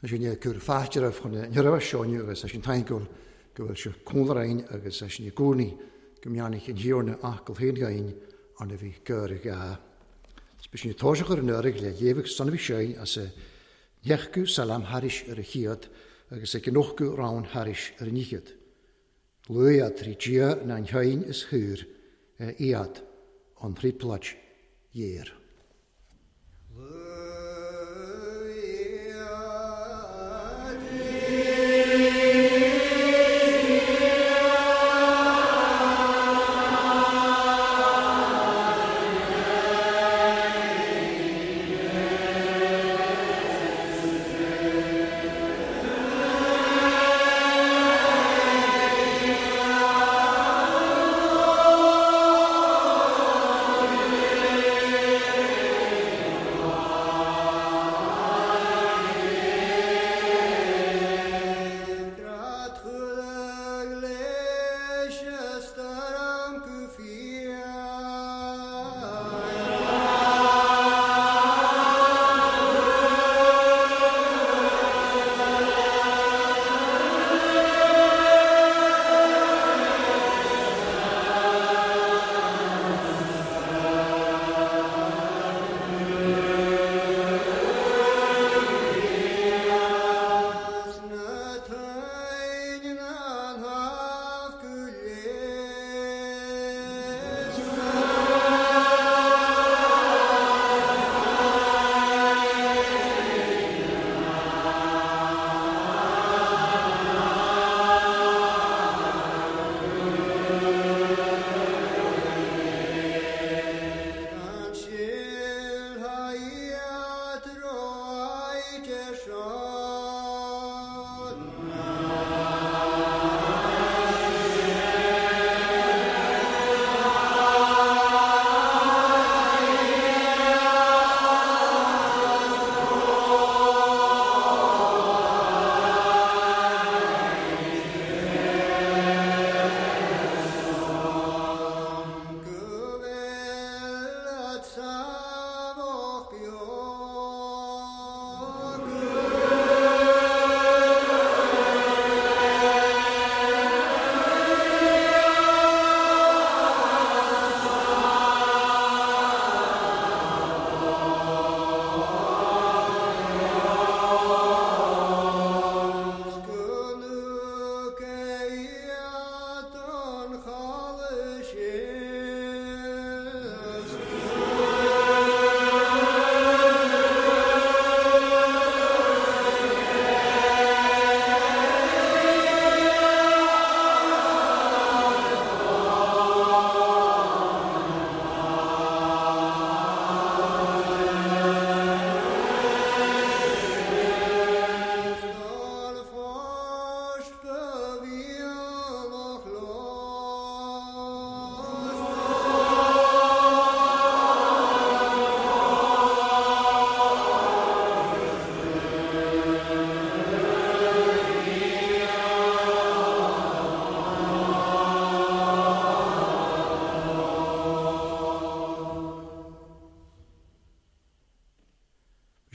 Sin é cur fáilte chun na raibh seo inniu agus é sin taingúil go bhfuil sé cúnrainn agus é sin i gcónaí go mbeannaigh an Thiarna Acaill féin againn arna bhí gur gá. Is sin toiseach ar an uirg le léamh san bhí sé as a ndeachú salam thairis ar a chéad agus ag an ochú rann thairis ar an fhichead. Luaigh trí Dia na an shein is thuir iad an tríplaid dhéar.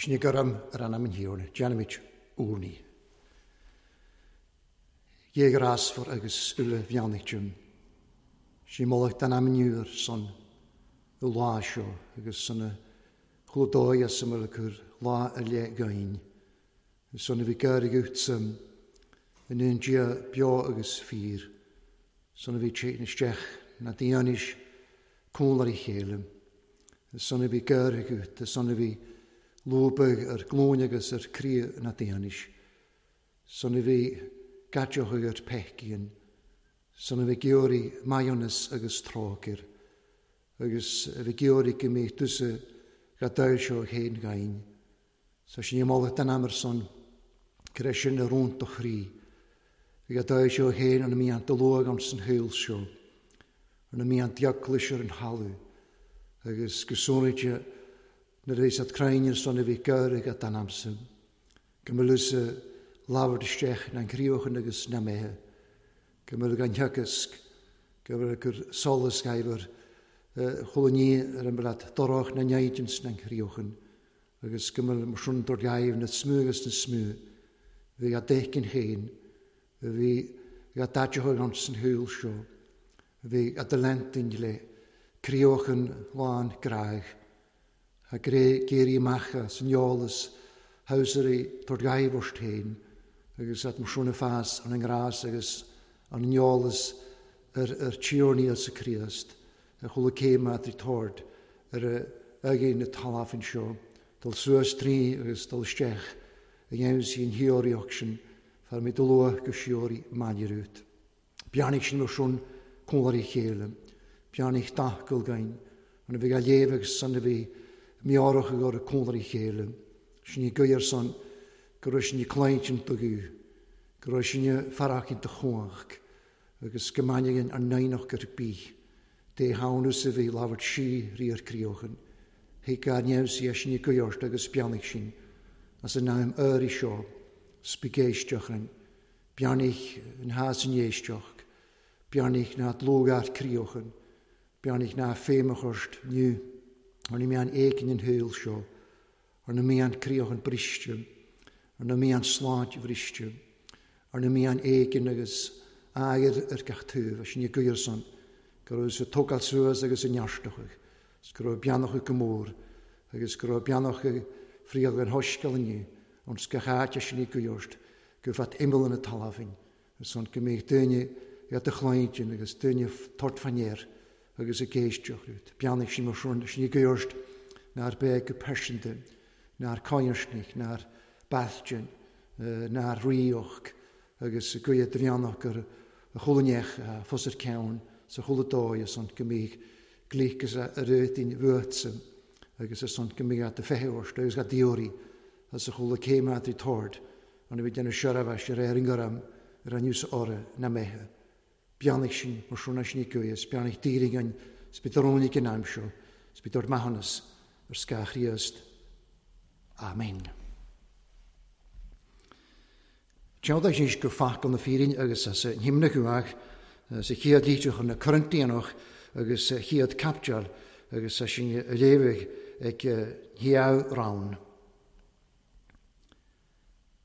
Sin é gurm ar anam an Thiarna, déanaimid urnaí. Dhé ghrásmhar agus uile bheannaigh Sin moladh don am inniu ar son an lá seo agus son a chlúdóidh as a mbeadh cur lá ar leith againn. Son a bhí gar agatsa in aon Dia beo agus fíor. Son a bhí téann isteach na daoinis cúnla a chéile. Son a bhí gar agat, son a bhí lúbadh ar glúin agus ar crí na daoinis. Son a bhí gadeoch ar peicín. Son a bhí geoirí maionas agus trócair. Agus a bhí geoirí go mí tusa ga dair seo chéin gain. Sa sin moladh den amar son, cre sin a rún do chrí. Bhí ga dair seo chéin an mí an luag an san shaol seo. An mí an diaglis ar an halu. Agus go sónaide na réis at crainir son a bhí gair ag den amsan. Go mbeadh labhairt isteach na an críochan agus na méithe. Go mbeadh an theagasc, go mbeadh gur solas gaibhar chulaní ar an mbead dorach na neidins na an críochan. Agus go mbeadh mar sin dor gaibh na smú agus na smú. Bhí a dtéicinn féin, bhí a dtaiteoidh ann san shaol seo, bhí a d'leantainn le críochan lán gráidh, a gré géirí amach as an eolas thabhsairí tabhairt ghaibh ort féin agus at mo shona fás an ngrás agus an eolas ar ar Tiarna Íosa Críost a chuala céim at rí tord ar a aghaidh na talmhan seo, dul suas trí agus dul isteach a dhéanamh sí an theoraíocht sin fear mé do luath go síoraí maille. Beannaigh sin mar sin cóngar a chéile, beannaigh dathgul gain, an a bhí á léamh agus san a bhí meabhrach ag orthu cóngar a chéile. Sin í gaoth ar son go raibh sin i claint an tugadh, go raibh sin i farrach in do chumhacht, agus go mbainfidh an naíonacht ar bith. Dé hamhnus a bhí labhairt sí rí ar críochan. Thuig gar neamhsaí é sin i gaoth ort agus beannaigh sin as an am áirithe seo, spigéisteach Beannaigh an hás an éisteach, beannaigh ná dlúthghart críochan, beannaigh ná féimheachast nú, ar na meán éigin an shaol seo, ar na meán críochan briste, ar na meán sláinte bhriste, ar na meán éigin agus aer ar gach taobh, sin i gcuir san, go raibh sa tógáil suas agus i neartachadh, is go raibh beannachadh go mór, agus go raibh beannachadh fríoch an hoisceal inniu, ón gach áit sin i gcuirt, go bhfad imeall na talmhain, ar son go mbeidh duine iad a chloigeann agus duine tort fanéir agus a géisteach rút. Beannaigh sin mar sin sin i gcuirt nár bheith go pearsanta, nár cáirsnich, nár bailtin, nár ríoch, agus go de bheannach gur a chulainneach fos ar ceann sa chula dóigh ar son go mbeidh glíocas a réitín bhuaitse agus ar son go mbeidh at a feitheoirt agus a dióirí as a chula céim at tord an a bhí déanamh seirbheis ar ar an gcoram ar an news orra na méithe. Beannaigh sin mar sin sin i gcuas, beannaigh dírig an spidrónig in am seo, spidor maithiúnas ar scáth Chríost. Amen. Teann sin go focal na fírinne agus as an himna chuach, sa chéad litir chun na Corintianach agus sa chéad capteal agus sa sin a léamh ag hiamh rann.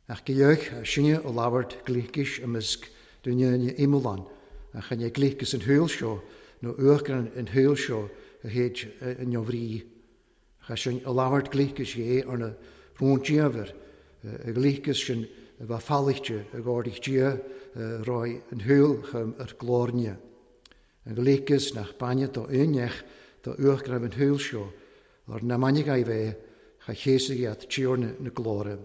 Ach go sinne ó labhairt glícis i measc duine na imeallán, ach chan é glícis an shaol seo nó uachtar an shaol seo a théid an bhrí. Cha sin a labhairt glícis é ar na rúntíomhar, a glícis sin a bheith fallaichte a gcóirigh Dia roi an shaol chum ar glóirne. An glícis nach bainne do aoinneach do uachtar an shaol seo, ar na mainigh bheith cha chéasaigh iad tíorna na glóire.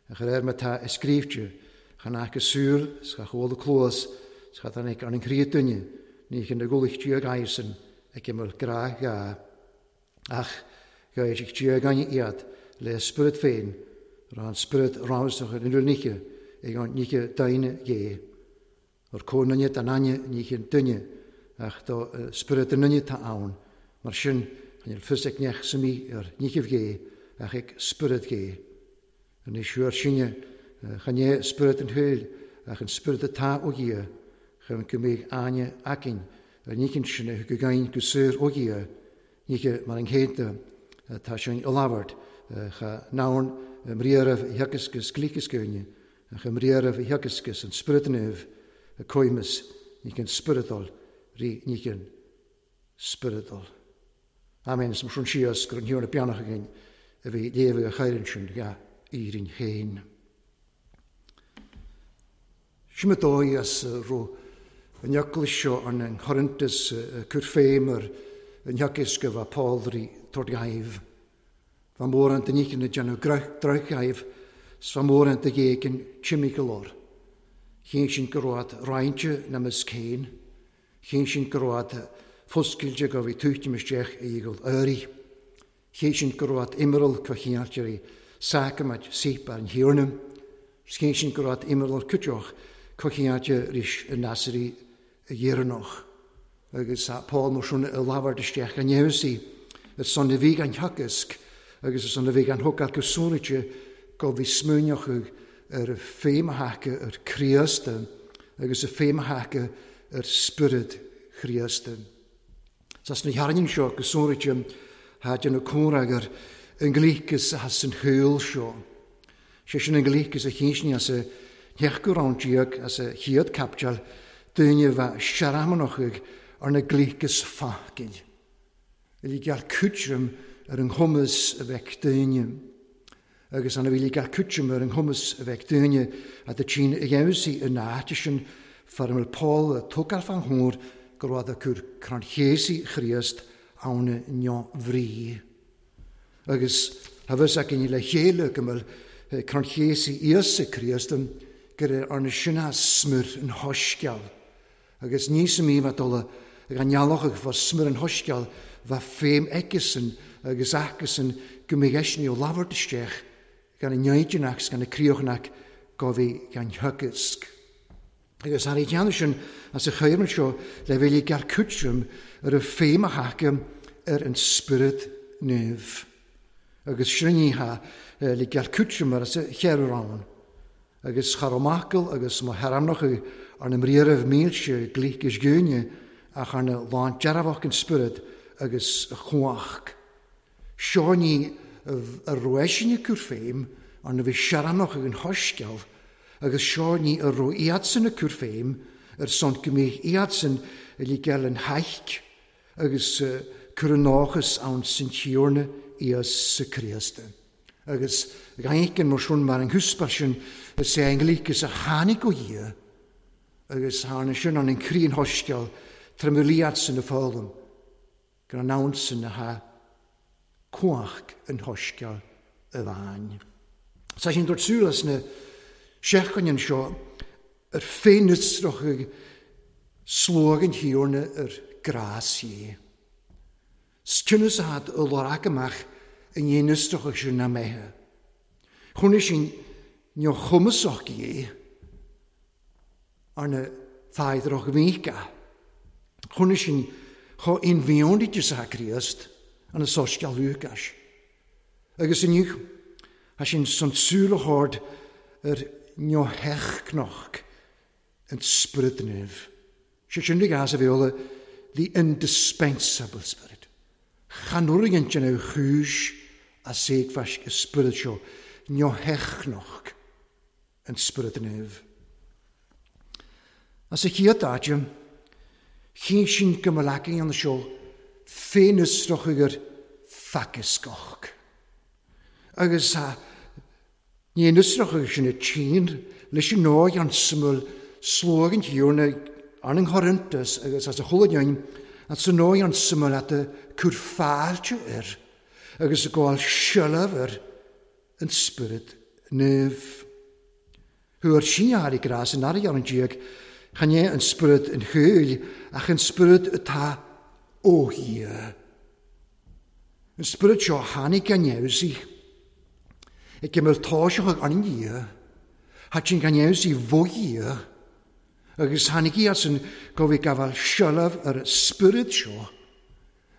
A chuir ar tá i scríbhte, chan aca súil, 's cha chuala cluas, 's cha tháinig ar an chroí duine, ní chun na gcualaigh Dia gaisan ag imeall grá gha. Ach ghairfidh Dia gainne iad le spiorad féin, ra an spiorad ramsach ar an niche ag an niche daine dhé. Ar cónainne den aine ní chun duine, ach do spiorad an duine tá ann, mar sin chan fhuil fios ag neach sa mí ar nichibh dhé, ach ag spiorad dhé. Anois thuar sinne, chan é spiorad an shaoil, ach an spiorad atá ó Dhia, chun go mbeidh aine againn ar nícinn sinne go gainn go saor ó Dhia, níche mar an chéadta tá sin i labhairt, cha naun mriaraibh theagascas glícas gúine, ach mriaraibh theagascas an spiorad naomh a coimeas nícinn spioradal rí nícinn spioradal. Amen. Is mar sin síos gur an thiarna beannach againn a bhí léamh a chaireann sin ga Éirinn féin. Sin mo dóigh as ro an eaglais seo an an Chorintus cur féim ar an theagasc a bheith Paul rí tord gaibh. Bha mór an duine na déanamh drochghaibh, 's bha mór an duine éigin timigh go leor. Chinn sin go raibh roinnte na measc féin, chinn sin go raibh foscailte go bhí tuaitim isteach i gcul áirithe. Chinn sin go raibh imeall cochialtirí sacrament síp ar an thiarna. Chinn sin go raibh imeall cuideach cochialte ris i Nasari a dhéireanach. Agus Paul mar sin a labhairt isteach an neamhsaí, ar son a bhí gan theagasc agus ar son a bhí gan thógáil go súnaite go bhí smuaineach ar a féimtheacha ar Chríost agus a féimtheacha ar spiorad Chríost. Sas na hearrainn seo go súnaite ha déanamh cúnra ar an nglíocas as an shaol seo. Sé sin an glic is a chinsní as a theach rann déag as a chéad caipiteal, daoine a bheith searmanach ar na glic is facail. Bhí geall cúiteam ar an chumas a bheith daoine. Agus an bhí geall cúiteam ar an chumas a bheith daoine a do tsin a dheimhsí in áit sin fearmil Paul a tógáil fan thór go raibh a cur crann chéasaí Chríost ann neo bhrí. Agus a bheas againn le chéile go bhfuil crann chéasaí Íosa Críost gur arna sinna smir an hoisceal. Agus ní sa mí bheith dul ag an nealach ag fá smir an hoisceal bheith féim aigesan agus aicesan go mbeidh eisean ó labhairt isteach gan an neidinach gan na críochnach go bhí gan theagasc. Agus thar i dteannta sin as a chaoirmid seo le bheith le geall cúiteam ar a féim a thaca ar an Spiorad Naomh. Agus sin ní ha le geall cúiteam ar a cheithre rann. Agus char amacail agus má thearmnach ar na mbriathraibh mílse glíc is gúine ach ar na lán dearfach an Spiorad agus a chumhach. Seo ní a raibh cur féim ar na bhí searannach ag an hoisceal agus seo ní a raibh iadsan a cur féim ar son go mbeidh iadsan le geall an haic agus cur an nóchas ann san Tiarna Íosa Críost. Agus gaincan mar sin mar an húspar sin is é an glic is a tháinig ó Dhia agus tharna sin an críon hoisceal tremoliad san na foghlaim gan an ann san na ha cuach an hoisceal a bhain. Sa sin dúirt súil as na seachtain seo ar féinusrach ag slóg an Thiarna ar grás dhé. Stinus had y lorag amach yn dhéanústrach ag sin na méithe. Chuna sin neo chumasach dhé arna thaidroch mhíca. Chuna sin cho inbhíonite sa Chríost an a sosceal Lúcais. Agus inniu, a sin san súil a thabhairt ar neo hechcnoch an Spiorad Naomh. Sé sin ag as a bhéola the indispensable spirit. Chanúrigint an á chúis a séagmhaisc y spiorad seo, neo hechnoch an Spiorad Naomh. As a chéad áite, chinn sin go mba leacaí an seo féinusrach ar facascoch. Agus ní nusrach sin a tsin leis an nóig an smúil slóg an Thiarna an an Chorintus agus as a chulainn an sa nóig an smúil at a cur fáilte air agus a gabháil seilbh ar an Spiorad Naomh. Thuar síneáir i grás an airgead an díog, chan é an Spiorad an chúil ach an Spiorad atá ó Dhia. An Spiorad seo tháinig gan neamhsaí. Ag gimel táiseach an Dhia, hat sin gan neamhsaí bhó Dhia, agus tháinig iad san go bhí gabháil seilbh ar an Spiorad seo.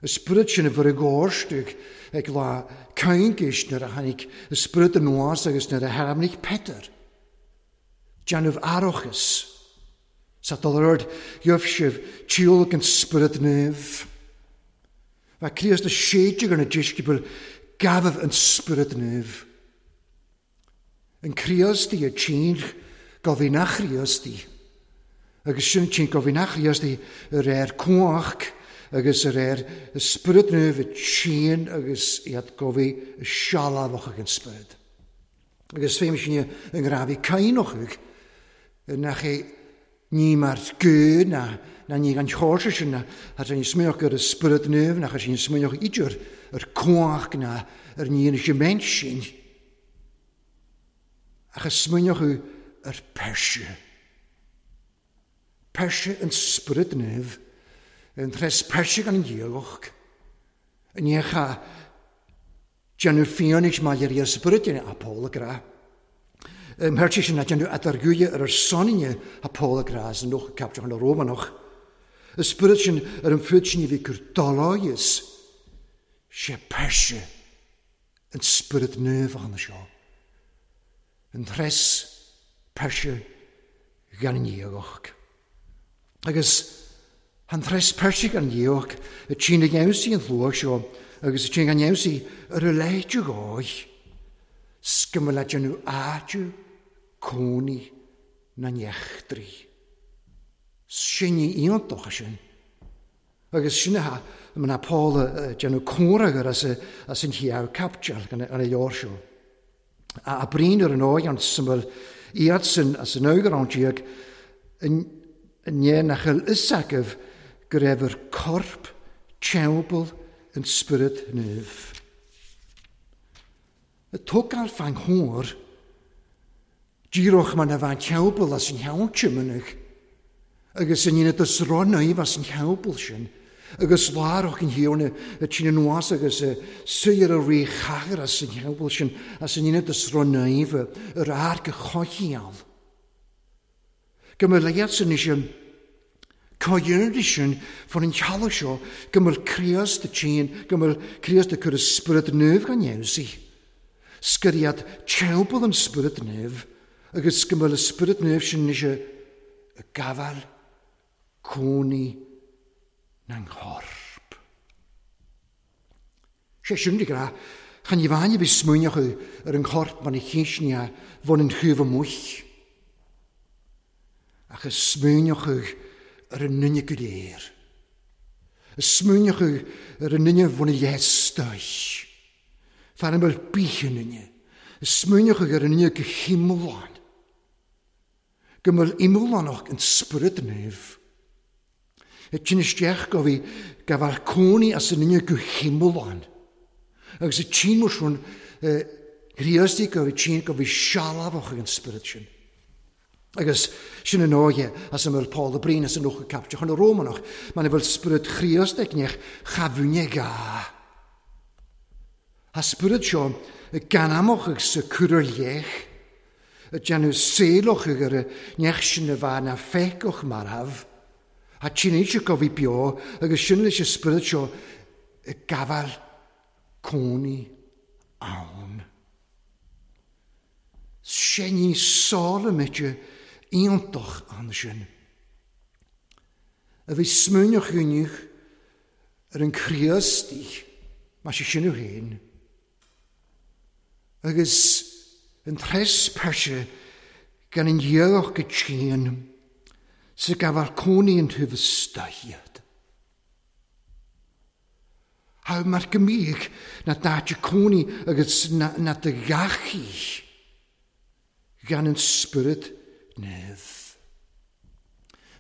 Y Spiorad sin a bhur i gcóirstug ag lá caingeis nuair a tháinig y Spiorad an nuas agus nuair a tharmnaigh Peter. Déanamh aireachas. Sa dul ar ord, gheobh sibh tíolach an Spiorad Naomh. Bha Críost a séideadh ar na deisceabail gabhadh an Spiorad Naomh. An Críost í a tsin go bhí nach Chríost í. Agus sin tsin go bhí nach Chríost í ar air cuach agus ar air y Spiorad Naomh a tsin agus iad go bhí sealbhach ag an Spiorad. Agus féim sin an ngrafí cainnochag nach é ní mar gú na ní gan chóirse sin na thar sin smuoch ar y Spiorad Naomh nach sin smuoch idir ar cuach na ar ní an sin sin. Ach a smuoch ar perse. Perse an Spiorad Naomh, an tres perse gan an dhéagach. An dhéacha déanamh fianaise mar ar Spiorad a Paul gra. Mherti sin na déanamh atargúile ar ar soninne a Paul gra as an noch capte an Rómanach. Y Spiorad sin ar an fud sin i bhí cur doláias. Sé perse an Spiorad Naomh an seo. An tres perse gan an dhéagach. Agus an tres perse gan dhéagach y tsin a gheimsí an luach seo agus y tsin gan gheimsí ar a leithe gáich. go mbeadh le déanamh áitiú cónaí na n-eachtraí. Sin ní iontach é sin. Agus sin a mná Paul a déanamh comhfhreagar as as an chéad caipiteal an leabhar seo. A brín ar an óigh an suimil iadsan as an eagrán déag ndiaidh nach bhfuil fhios agaibh go raibh ar corp teampall an Spioraid Naoimh. Tógáil fán chóir, díreach mar na bhean teampall as an cheann minic, agus an ionad is ró-naomh as an theampall sin, agus lárach an Thiarna a tine anuas agus a suí ar a rí chathair as an theampall sin, as an ionad is ró-naomh ar airc a choincheall. Go mba leat-sa anois an comhdhéanamh sin fan an teallach seo, go mbeadh Críost a tinn, go mbeadh Críost ag cur a Spiorad Naomh gan fheabhsaí. Scoir iad teampall an Spiorad Naomh agus go mbeadh an Spiorad Naomh sin anois ag gabháil cónaí na ngcorp. Sé sin de ghnáth, chan ní bhain a bhí smaoineachadh ar an chorp mar a chísní a bhain an taobh amuigh, ach a smaoineachadh ar an nduine go léir. A smaoineachadh ar an nduine bhain a leith stoich. Fear a mbeadh bith i nduine. A smaoineachadh ar an nduine go hiomlán. Go mbeadh iomlánach an Spiorad Naomh. Ag tinn isteach go bhí gabháil cónaí as an nduine go hiomlán. Agus ag tinn mar sin Chríostaí go bhí tinn go bhí sealbhach ag an Spiorad sin. Agus sin an óige as a mbeadh Paul de Breen as an Ucha Caipteach an Rómánach, mar a bhfuil Spiorad Chríost ag neach cha bhfuinne gá. A spiorad seo gan amach agus a cur ar leith, ag déanamh saolach ar a neach sin a bheith na feiceach marbh, a tínite go bhí beo agus sin leis an spiorad seo ag gabháil cónaí ann. Sé ní sála mite iontach ansin. A bhí smaoineach inniu ar an Chríostaí, mar sé sin féin. Agus an tres peirse gan an dhéagach go tinn sa gabháil cónaí an taobh istoigh. How mar go mbíodh na daite cónaí agus na do ghachaí gan an Spiorad Naomh.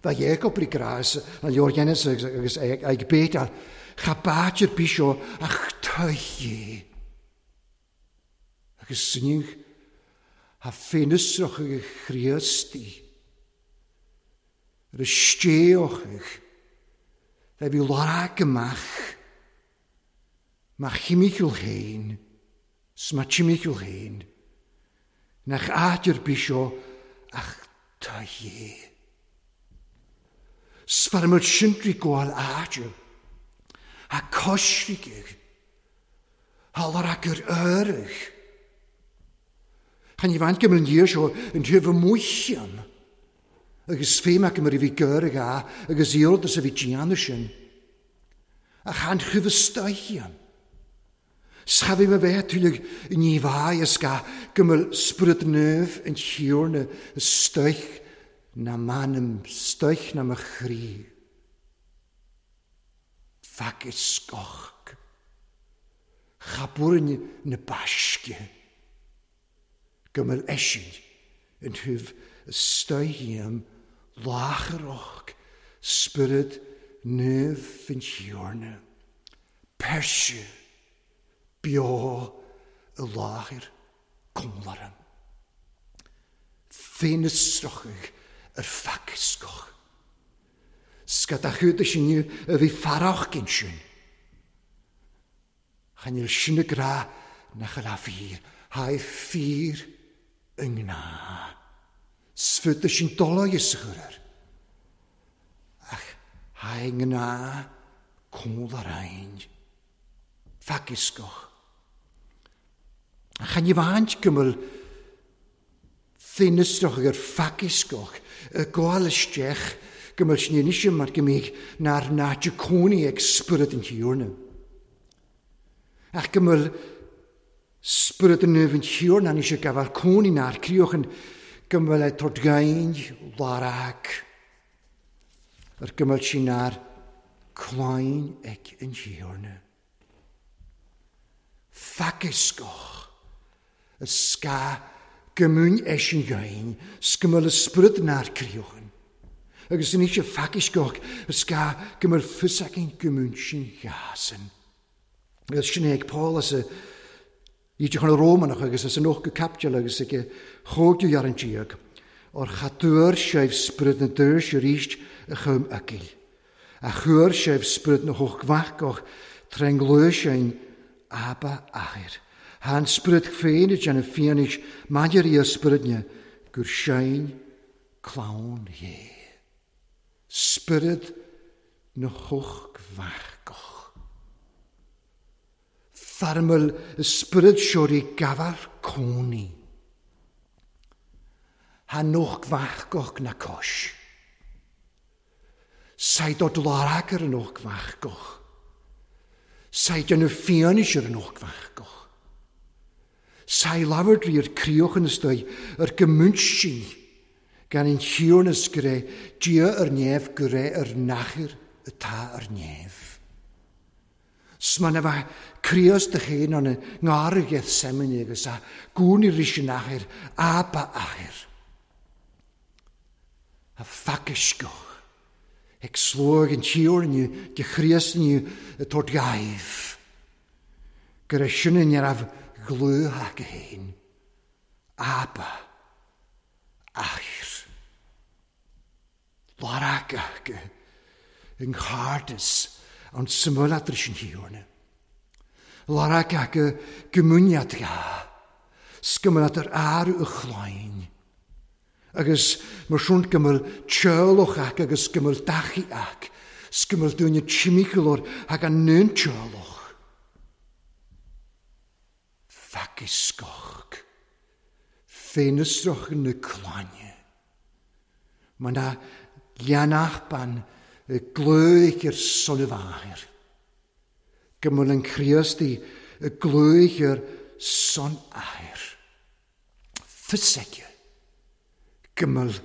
Bheadh Jacob rí grás an leabhar Genesis agus ag béiteáil cha báit ar bith seo ach tuigh. Agus sinigh a féinfhiosrach ag Chríostaí ar a stéochaidh le bhí lorg amach má chimiciúil féin 's má timiciúil féin nach áit ar bith seo ach tuigh. 'S fear muid sintrí gabháil áite a coisricigh a lorg ar áirithe. Chan ní bhaint go mbeadh an seo an taobh amuigh ann. Agus féim acu mar a bhí gair ag a agus iarratas a bhí déanamh sin. Ach an chuimh istoíche ann. 'S cha bhí mé bheith tuilleadh ní bhaidh is ga go mbeadh Spiorad Naomh an Thiarna istoích ná m'anam, istoích ná mo chroí. Feac is scoch. Cha burainn na baisce go mbeadh eisean in thaobh istoích am láithreach Spiorad Naomh an Thiarna. Peirse beo i láthair cónlaran. Féinfhiosrachaidh ar feac scoch. Scad a chuid sin a bhí farach sin. Chan fhuil sin a grá nach a fíor, haigh fíor i ngná. Sfud sin dolaigh is a chur air. Ach haigh ngná cónlarain. Feac scoch. Chan ní bhaint go bhfuil féinfhiosrach ar feac scoch y gabháil isteach go bhfuil sin anois mar go mbíodh nár náite cónaí ag Spiorad an Thiarna. Ach go bhfuil Spiorad Naomh an Thiarna anois ag gabháil cónaí nár críochan go mbeadh le tabhairt gain lárag ar go mbeadh sí nár clainn ag an Thiarna. Faciscoch a scáth go múin eisean gain 's go mbeadh le Spiorad nár críochan agus anois a faciscoch a scáth go mbeadh fios againn go múin sin ghasan. Agus sin é ag Paul as a Íte chun na Rómánach agus as an ochtú caipiteal agus ag a chóimhdiú ar an díog, or cha dtuar sibh sprid na daoirse arís a chum agaibh, a chuir sibh sprid na hocht-mhacach tré ngluaiseáin Abba Athair. Thá an Spiorad féin ag déanamh fianaise maidir ia spioradne gur sinn clann Dhé. Spiorad na hocht-mhacach. Fearmail y spiorad seo ri gafal cónaí. Ha noch gfachgoch na cois. Said o dlarag ar y noch gfachgoch. Said yn y fianis ar y noch gfachgoch. Sai lafar dri ar crioch yn ystoi ar gymwntsi gan ein hiwrnas gre dia ar nef gre ar nachir y ta ar nef. Sma na bheith Críost do chéin an ngar Gethsemane agus a gúnaí ris an athair, Abba athair. A phacaisceach ag sluag an tír inniu de Chríost inniu a tabhairt dhaoibh gur é sin a raibh dhlúth acu féin. Abba athair. Lorg acu yng nghairdeas an symbolad ris an Thiarna. Lorg acu gymuniad ga, sgymrad yr ar y chlain. Agus mar siwn gymryd teolwch ac agus gymryd dachu ac, sgymryd dwy'n timiclwr ac an nyn teolwch. Ffacusgoch, ffenysroch yn y claine. Mae na leanach ban y glwych i'r son y fair. Gymryd yn Chriast i y glwych i'r son air. Ffysegio. Gymryd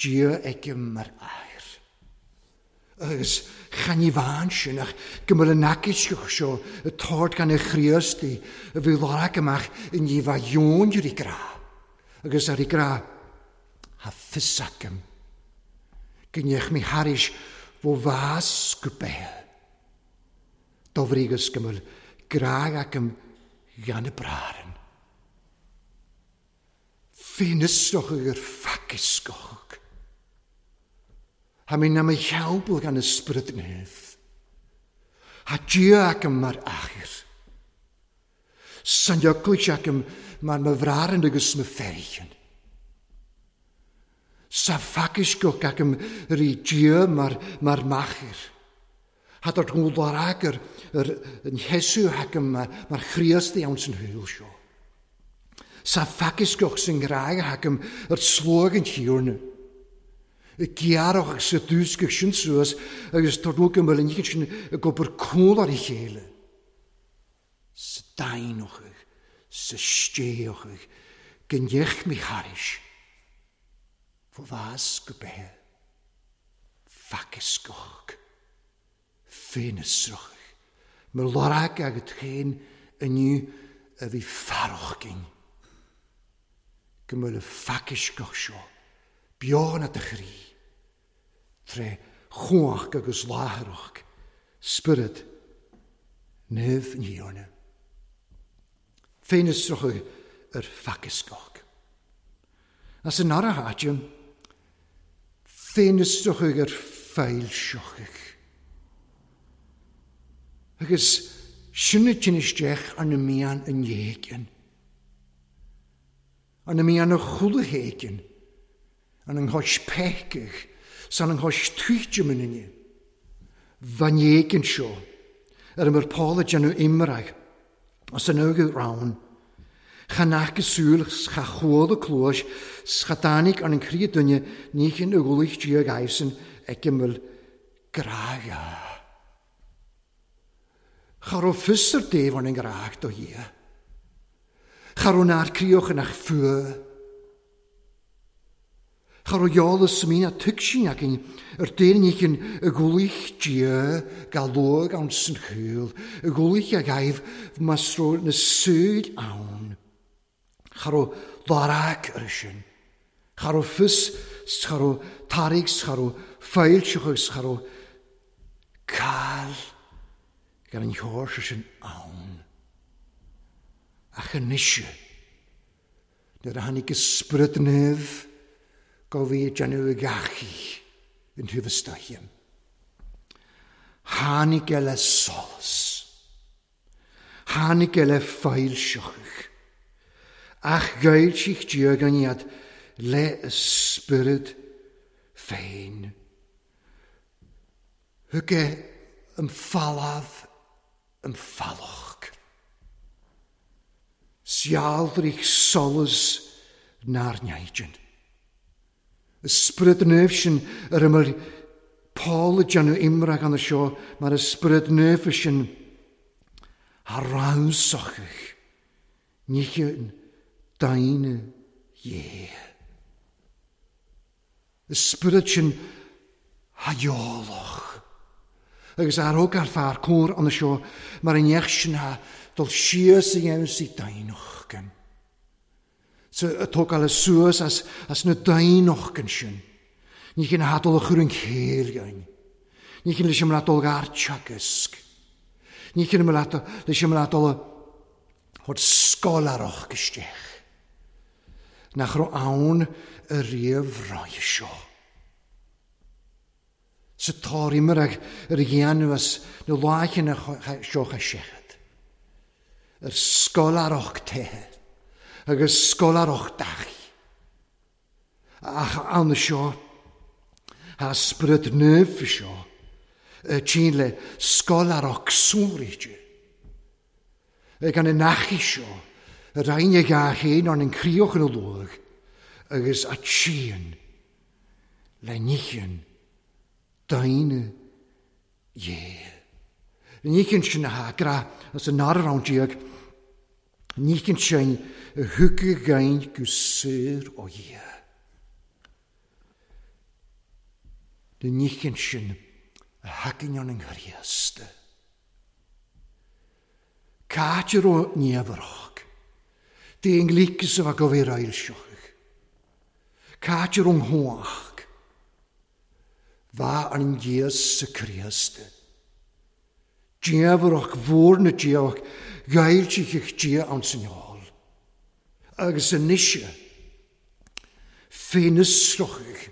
dia ag mar air. Agus chan i fan sin ach gymryd yn agysgwch sio y tord gan y Chriast i y fi lorag ymach yn i fa ion i'r i gra. Agus ar i gra ha ffysagym. Gynnech mi haris fo fas gwbel. Dofrigus gymryd graag ac ym gan y braren. Ffenysroch yw'r ffacusgoch. Ha mi am ei helbl gan y ysbryd nef. Ha dia ac ym mar achir. Sanjoglis ac ym mar myfraren agus myferion. Sa ffacusgoch ac ym ri dia mar, mar machir. Had o'r gwlad yr, yr, yn Jesu ac ym mar, mar Chriast iawn sy'n hwyl sio. Sa ffacusgoch sy'n graig ac ym yr slwg yn hiwrn. Y giaroch sy dwysgych sy'n sŵas agus tordwg ym yr unig sy'n y gobr cwl ar ei chéile. Sa dainoch sa steoch gynnech mi haris. Fo fas go beth. Ffacusgoch. Ffenysroch. Mae lorag ag y inniu a bhí farroch ginn. Go mbeadh le ffacusgoch seo, beon at y chrí, tre chwach agus láthaireach, spiorad naomh an Thiarna. Féinisroch ar ffacusgoch. As yn ara háite, féinisroch ar feilsiochach. Agus sinna tinn isteach ar na mian an dhéigin. Ar na mian a chula héigin. An an chois peiceach, san an chois tuite minine. Van dhéigin seo, ar mar Paul a déanamh imreag, as an óga rann. Cha nach súil cha chuala clúis, cha dánig ar an crí duine níchin y gwlich diag aifsyn ag ymwyl graga. Cha ro fysr def an yn graag do hia. Cha raibh nár críoch nach fuath. Cha raibh eolas sa mín a tuigsin againn ar daoine i gculaith Dia ga luadh ann san chúl, i gculaith a ghaibh más raibh na súil ann. Cha raibh lorg ar sin. Cha raibh fios 's cha raibh tarraig 's cha raibh foilseach agus cha raibh cáil gan an sheoirse sin ann. Ach anois, nuair a tháinig an Spiorad Naomh go bhí ag déanamh a gheachaí in taobh istoíche, tháinig é le solas, tháinig é le foilseachadh, ach ghoillsigh Dia againn iad le a Spiorad féin. Thug é an falamh an falach. Sealdraigh solas nár neidin. Y Sprid Naomh sin ar ymyl Paul ag déanamh imrach an seo mar y Sprid Naomh sin a rannsachach níche daoine dhé. Y Sprid sin a dheolach. Agus athróg ar fear cóir an seo mar an neach sin a dul síos a dhéanamh sí daoinochgan. So a tógáil suas as na daoinochgan sin. Ní chin a dul a chur an chéil. Ní chin leis an dul gar teagasc. Ní chin leis an dul a chur scolarach isteach. Nach raibh ann a riamh ráidhe seo. Sa tárimar ar a dhéanamh as na láicheanna seo a seachad. Ar scolarach teithe agus scolarach dachi. Ach ann seo, a Sprid Naomh seo, tsin le scolarach súride. Ag an nachi seo, y rhain ag a chéin an críoch yn y lwg, agus a tsin le níchen daoine dhé. Níchen sin a gra as an nára rán diag, níchen sin a thugadh gain go saor ó dhia. Na níchen sin a thacainn an Chríost. Cáitir ó neamharach. Déan lícas a bheith go bhí railseoch. Cáitir ón thuach. Bha an Dias sa Chríost. Diamharach mhór na diach gailteach Dia an sinneáil. Agus anois féinasrochach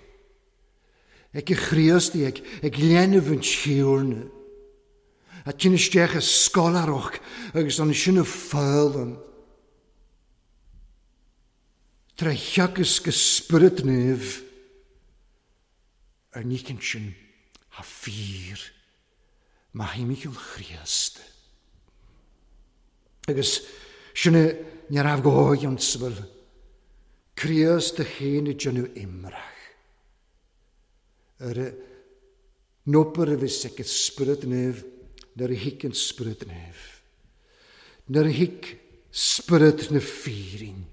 ag y Chríost ag léanamh an tíorna. A tinn isteach a scolarach agus an sin a fálan. Tra theagas go Spiorad Naomh ar nícinn sin a fíor má himichil Chríost. Agus sin ní raibh go an sbhil Críost a chéin i déanamh imrach. Ar nópar a bhí ag Spiorad Naomh nuair a thic an Spiorad Naomh. Nuair a thic Spiorad na fírin.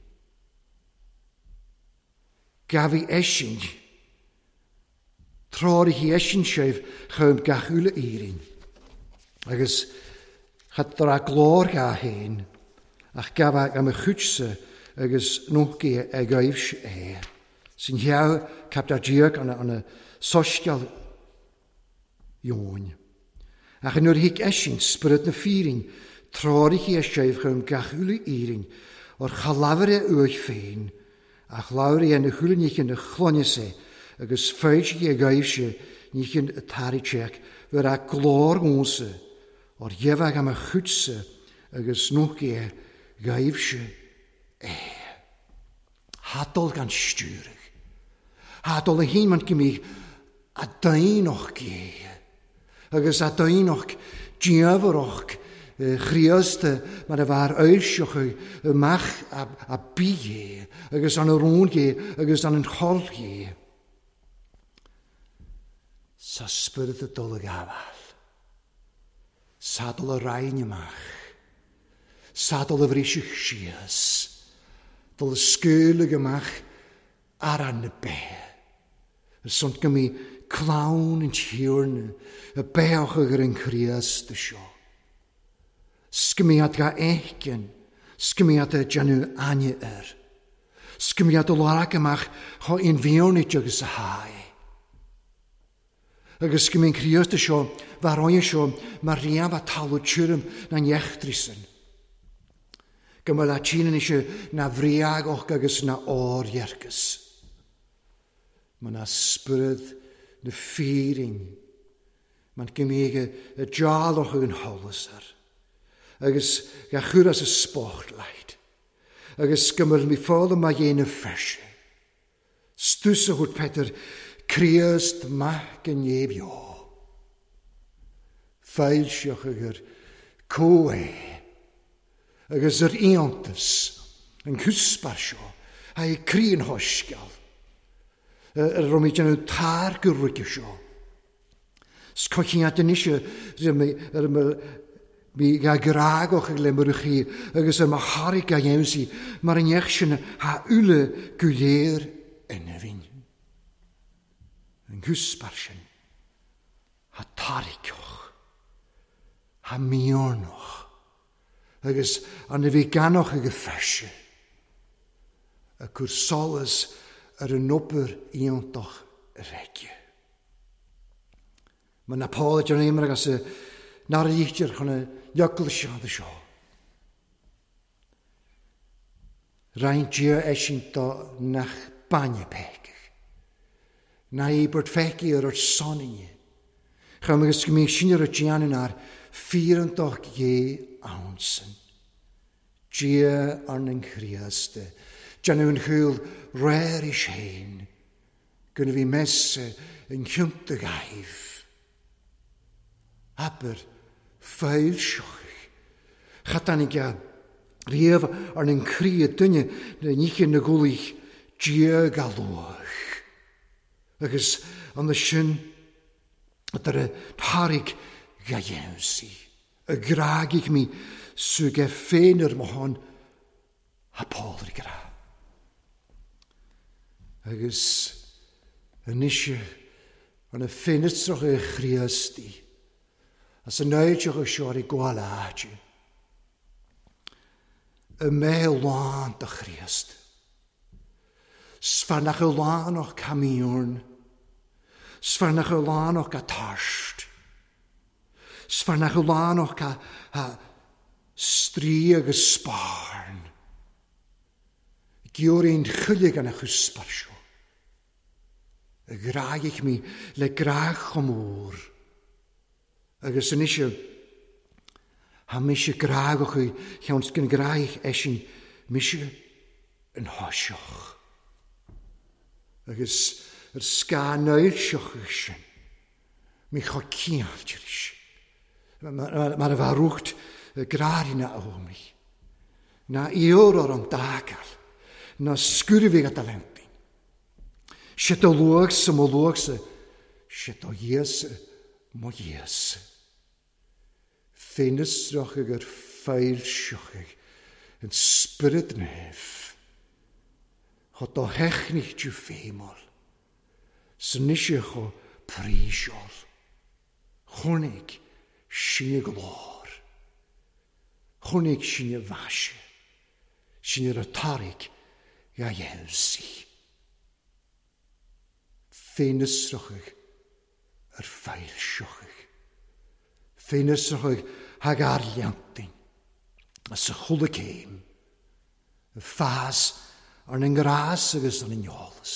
Gabhí eisin. Tráirithí eisin sibh chum gach uile éirín. Agus chat a glór ga héin, ach gabha am a chutsa agus nócaí ag gaibh é. Sin heaw captar diag an a sosceal Ioin. Ach nuair thic eisin Spiorad na fírin, tráirithí a sibh chum gach uile éirín, o'r chalafre uaich féin, ach labhraí na húlaníchin na chlóine agus féidir ag gaibh sé níchin y tairiteach bhur a glór ónsa o'r dhefag am a chutsa agus nócaí gaibh sé é. Hadol gan stiúrach. Hadol a hín man gymig a daoinoch gé. Agus a daoinoch diafaroch Chríost mar a bhar oilseoch amach a bí gé agus an rún gé agus an chol gé. Sa spiorad a dul ag gabháil. Sadal a rain amach. Sadal a bhríseach síos. Dul scaoileadh amach ar na béithe. Ar son go mbí clann an Tiarna a beadh ar an Chríost seo. 'S go mbí ga fheiceann, 's go mbí ag déanamh aithne air. 'S go mbí ag lorg amach chomh inmhianaithe agus a haghaidh. Agus go mbí an Críost seo, bheith roinne seo mar riamh a talamh tirim na n-eachtraí sin. Go mba le tine anois na bhriagoch agus na órdhearcas. Ma na spiorad na fírinne, man go mbíodh a dealach ag an sholas air, agus ga chur as a spotlight, agus go mba mi foghlaim a dhéanamh feise. Stús a thabhairt Peter, Críost maith go neamhbheo. Foilseach agur comhé agus ar iontas an cuspa seo, a é croí an shoisceal, ar raibh mé déanamh tar go ruige seo. 'S coicín anois ar mi ga grágoch ag le murchaí agus ar mo thairg ga dhéanamh mar an neach sin ha uile go léir ina bhinn. An cuspa sin ha tairgeoch, ha miornoch, agus an a bhí ganoch ag y feise, a cur solas ar an obair iontach reige. Ma na Paul ar an agus nar líchtir chun a leocail seo seo. Roinnt Dia eisint do nach bainne peicach. Na íbert feici ar ar soninne. Chum agus go mbíodh sin ar a déanamh ar fíorantach dhé ansan. Dia ar an Chríost, déanamh an chúl réir is féin, go bhí messe an chionta gaibh. Aber foilseoch. Chatanig a riamh ar an chroí duine na níche na gculaith Dia ga luach. Agus an sin ar a thairg ga dhéansaí. A grágaigh mi suge féin ar mo shon ha Paul ar grá. Agus anois an a féinitrach y Chríostaí, as an náideach y seo ar i gcáil áite. Y mé lán do Chríost. Sfarnach y lán o'ch camiwn. Sfarnach y lán o'ch gatarst. Sfarnach y lán o'ch ca ha strí agus sparn. Giwr ein chylig an y chwsbar sio. Y graig mi le grach o môr. Agus yn eisiau, ha mi eisiau graag o'ch chi, llawn sgyn graig eisiau, mi eisiau yn hosioch. Agus yr sga noelsioch eisiau, mi cho ciall eisiau. Mae'r farwcht y graar yna o mi. Na ior o'r ond dagal, na sgwrfig a talentin. Sut o luag sa mo luag sa, sut o ies mo ies. Féinysroch ag yr ffaelsioch yn spirit nef. Chod o hechnich jiw feimol. Synisio cho prisiol. Chwnig sinne glór. Chwnig sinne faise. Sinne rhetoric ga dhéansaí. Féinysroch ar ffaelsioch. Féinysroch hag arliantin. As y chwla céim. Y ffas ar yn gras agus ar yn iolas.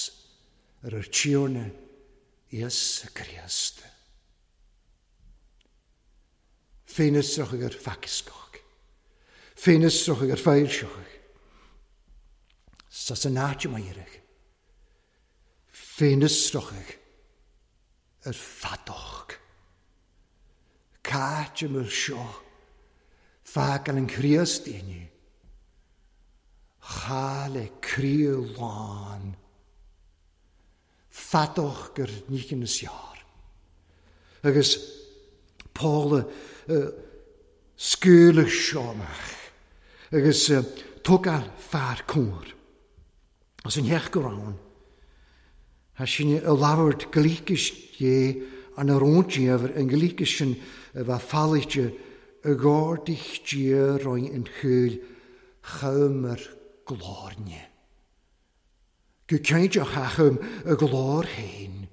Ar yr tiwrna Ies y Christ. Féinysroch ar ffacysgoch. Féinysroch ar ffaelsioch. Sas yn áit yma irig. Féinysroch ar ffadoch. Cáit ymwyl sio. Ffag an Christ i ni. Chael e crí lán. Ffadoch gyr nícyn y siar. Agus Paul sgwylig sio mach. Agus tugal fear cwr. As an theach go raibh Thá sin ag labhairt gliceas Dé an a róndiamhair an gliceas sin a bheith fallaite i gcomhardach Dia roinn an chúil chumar glóirne. Go cinnteach cha chum a glór féin,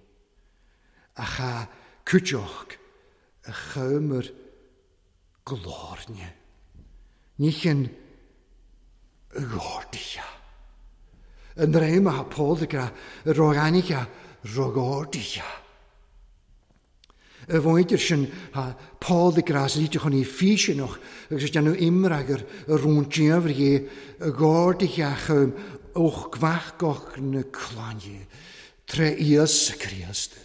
ach cha cuideoch a chumar glóirne. Ní shin a ghortaithe. An dream atá Pól ag rá a roghainithe roghordaithe. I bhfointir sin tá Pól ag rá sa líteach chun í físeanach agus ag déanamh imreagair a rún diamhair dhé a ghordaithe a chum och gmach na clainne tré Íosa Críost.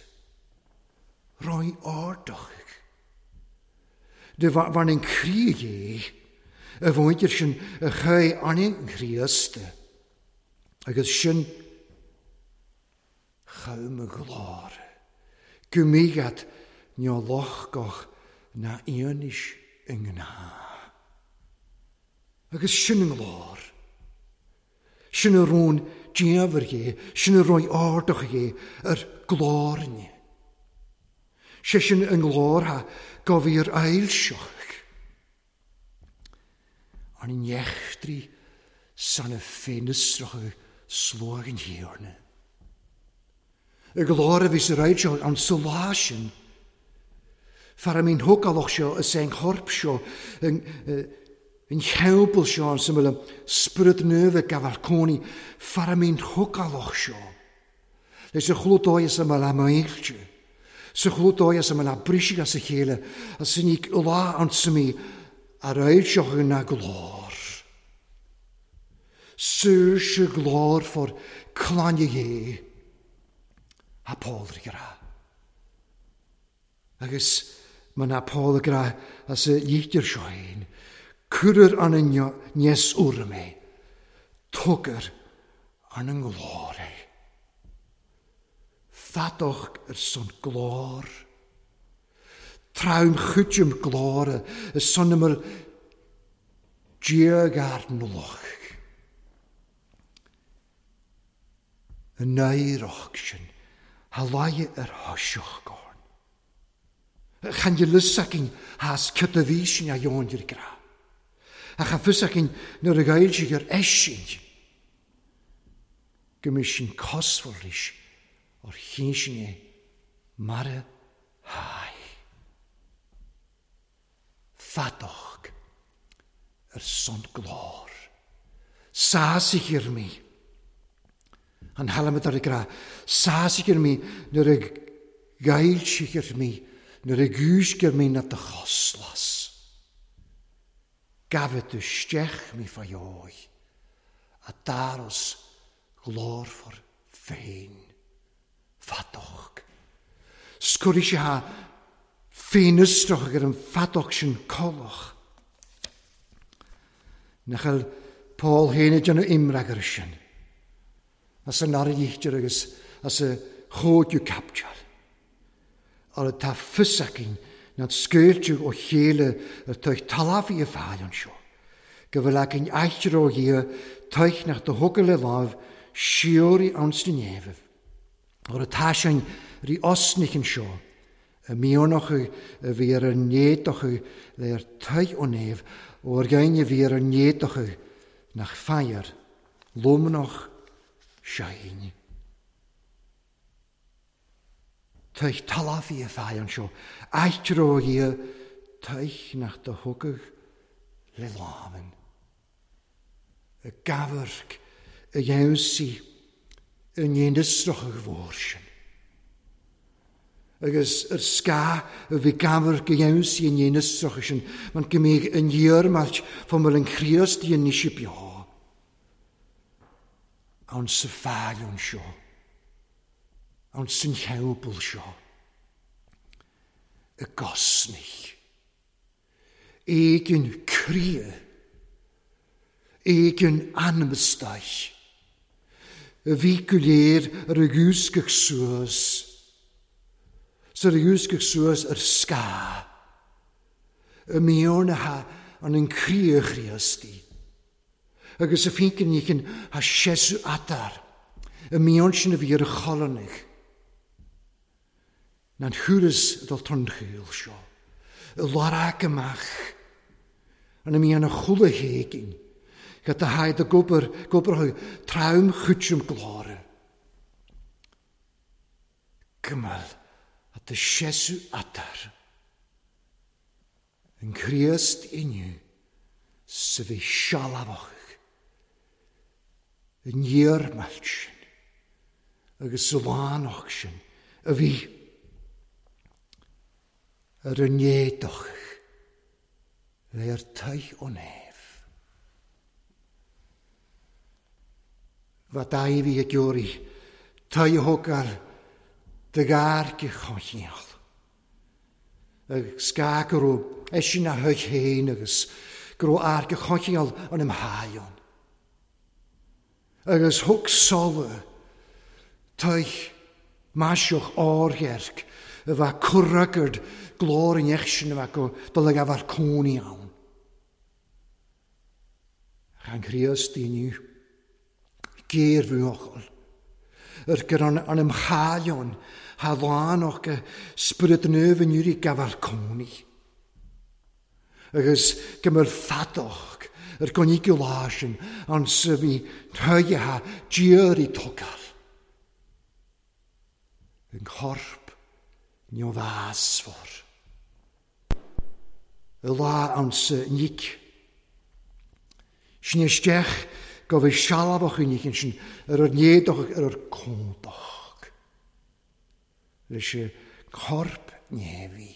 Roinn ardachaidh. De bharr an chroí dhé, a mhuintir sin a chuaigh an Chríost, agus sin chum a ghlór. Go mbíghead neo lochgach ná aonis i ngnáth. Agus sin an nglór. Sin a rún diamhair dhé, sin a roinn ardach dhé ar glóirne. Sé sin an nglór go bhí ar ailseach. An nechtrí san a féinusracha sluag an thiarna. Y glór a bhí sa ailseach an sa lá sin. Fara mín thógálach seo is é an chorp seo an cheampall seo an similar spirit nua gabhal cónaí fara mín thógálach seo. Leis a chlúdóidh sa mbeal amaílte. Sa chlúdóidh sa mbeal brisig as a chéile as sin í lá an suimí ar ailseach na glór. Saoirse glór for clainne dhé a Paul ag rá. Agus ma na Paul ag rá as a lítir seo féin, cuirear an nes uair mé, tugar an an nglór é. Fadach ar son glór. Traum chuidim glór y son ymwyl diag ar nloch. Y nairach sin, ha laie ar thoiseach gorn. Chan je lusacin has cyda físin a jóndir gra. A cha fusacin nuair a gael si gur eisint. Go mis sin cosmhar o'r chinn é mar a haigh. Fadach ar son glór. Sásig ar mi. An halamad ar y gra. Sásig ar mi nuair a gael si ar mi nuair a gúisg ar mi na dy choslas. Gafod y stech mi ffaio'i a daros glorfor féin. Fadach. Sgwri si ha féin ystroch ag an fadach sin colach. Nachal Paul héin ag déanamh imreag ar sin. As an aríchtir agus as a chóidiú capteal. Ar tá fusacin na scoilteadh ó chéile ar tuich talamh a fáil anseo. Go bhfuil againn aistear ó Dhia tuich nach do thugadh le lámh siúraí ann sna neamh. Ar atá sin rí osnich anseo, y miornoch a bhí ar an néadach le ar tuich ó neamh, ó ar gaine bhí ar an néadach nach fear, lomnach sein. Tuich talamh a fáil anseo, aistear ó Dhia tuich nach do thugadh le lámhan. Y gafarc y dheimhsí y ndéanasrach a mhór sin. Agus ar sca a bhí gafarc y dheimhsí y ndéanasrach sin, man go mbeidh an iarmailt fá mar an Chríost i an níse beo. Ann sa fáil anseo. Ann san cheabal seo. Y gosnich. Éigin cria. Éigin anmastach. Y bhí go léir ar y gúsgach suas. Sa ar y gúsgach suas ar sca. Y mion ha an an cria chríosti. Agus y ffíncyn nícyn ha siesu adar. Y mion sin a bhí ar a cholannaigh. Na'n thuras dul tonchaol seo. I lorg amach an a mbíonn a chuile héigin. Go do haghaidh do gobar, gobar trom chuitrim glóire. Gymel at do sesu adar. Yn Chríost inniu sa bhí sealbhach yn iarmailt sin agus sa lánach sin a bhí ar an éadach le ar taith ó neamh. Fa dau fi ag iori, taith thógáil dy gair choinneal. Agus ga go raibh eisean a thuig féin agus go raibh airge choinneal an imtháileann. Agus thug Sola toigh maiseach ardhearc a bheadh curragard glór an sin a bheadh go dul ag abhar cónaí ann. Ach an Chríost inniu, géarbhuachaill, ar gur an imtháileann ha lánach go Spiorad Naomh inniu ag gabháil cónaí. Agus go mbeadh fadach ar go lá sin an sa bhí tuigthe Dia i tógáil. Yn corp ní o fasfor. Y lá an sa nic. Sin isteach go bhí sealbhach yn nic sin ar yr néadach ar yr códach. Leis y corp nefi.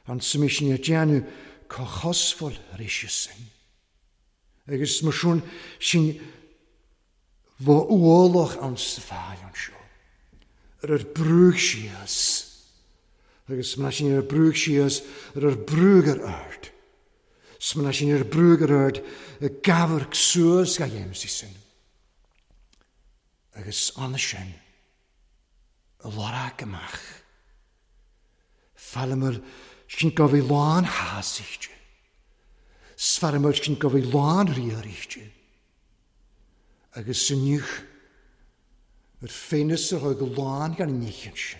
An sa mi sin ar déanamh cochosfol sin. Agus mar sin sin fo ualach an sa fáil an seo. Ar yr brwg sias. Agus mar sin ar brwg sias ar yr brwg ar ard. Smna sin ar brwg ar ard y gafr cswrs ga sin. Agus anna sin y lorag amach. Falamar sin go bhí lán hásichte. Sfaramar sin go bhí lán riarichte. Agus inniu ar féinis a thug lán gan níchan sin.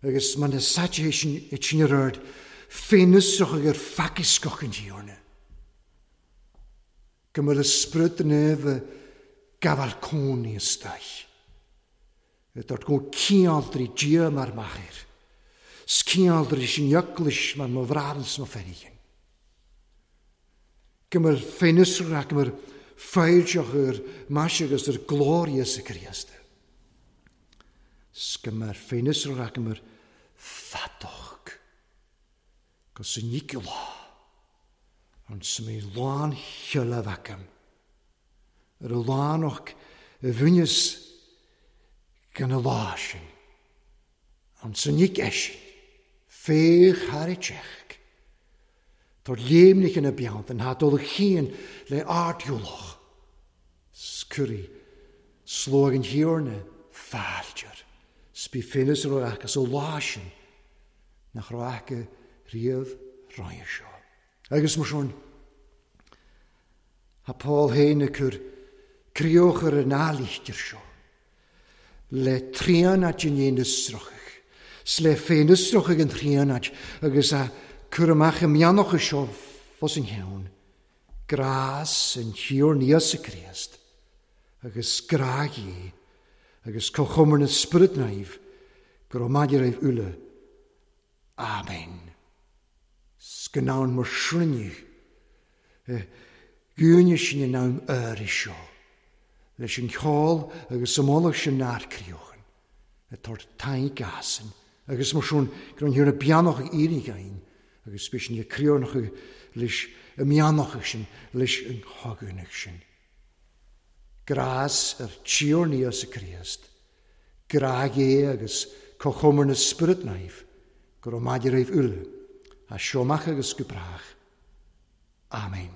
Agus man na saite sin i sin ar ard féinis a thug ar facascoch an tíorna. Go mbeadh y spryd nef y gafal cónaí ystau. Dort go cialdri Dia mar machair. Scialdri sin jöklis mar mo vrarens mo ferigin. Gymmer féinusra, gymmer feilseach yr maisiag yr glorious y Christ. Sgymmer féinusra, gymmer ffadoch. Gos yn lá. Ond sy'n mi lán hyla facam. Yr y lán o'ch y fwynys gan y lá sin. Ond sy'n nic eisiau. Féch har i tseach. Tor léimnich yn y biant yn hadol y chyn le ardhiwloch. Sgwri, slog yn hiwrna, ffaildir. Sbi ffynus roi ac as o lá sin, nach roi ac y rhif roi seo. Agus mar sin, ha Paul hein y cwr crioch yr yn alichtir seo. Le trianad yn ein ysrochach. Sle féin ysrochach yn trianad agus a cwr amach y mianoch y seo fos yn iawn. Gras yn hiwr nias y Christ. Agus grag i. Agus cochomr yn ysbryd naif. Gromadir eif ule. Amen. Sgynawn mor srynnu. Gwyni sy'n yn nawn yr i seo. Leis yn ceol agus ymolach sy'n na'r criochan. Y tor tai gasen. Agus mar siwn gwrwn hiwr y bianoch ag irig gain. Agus bys yn y crionoch leis y mianoch sin, leis yn hogunach sin. Gras yr tiwr ni os y Christ. Grag e agus cochomr na spirit naif. Gwrw madir eif ule. A siomach agus gwbrach. Amen.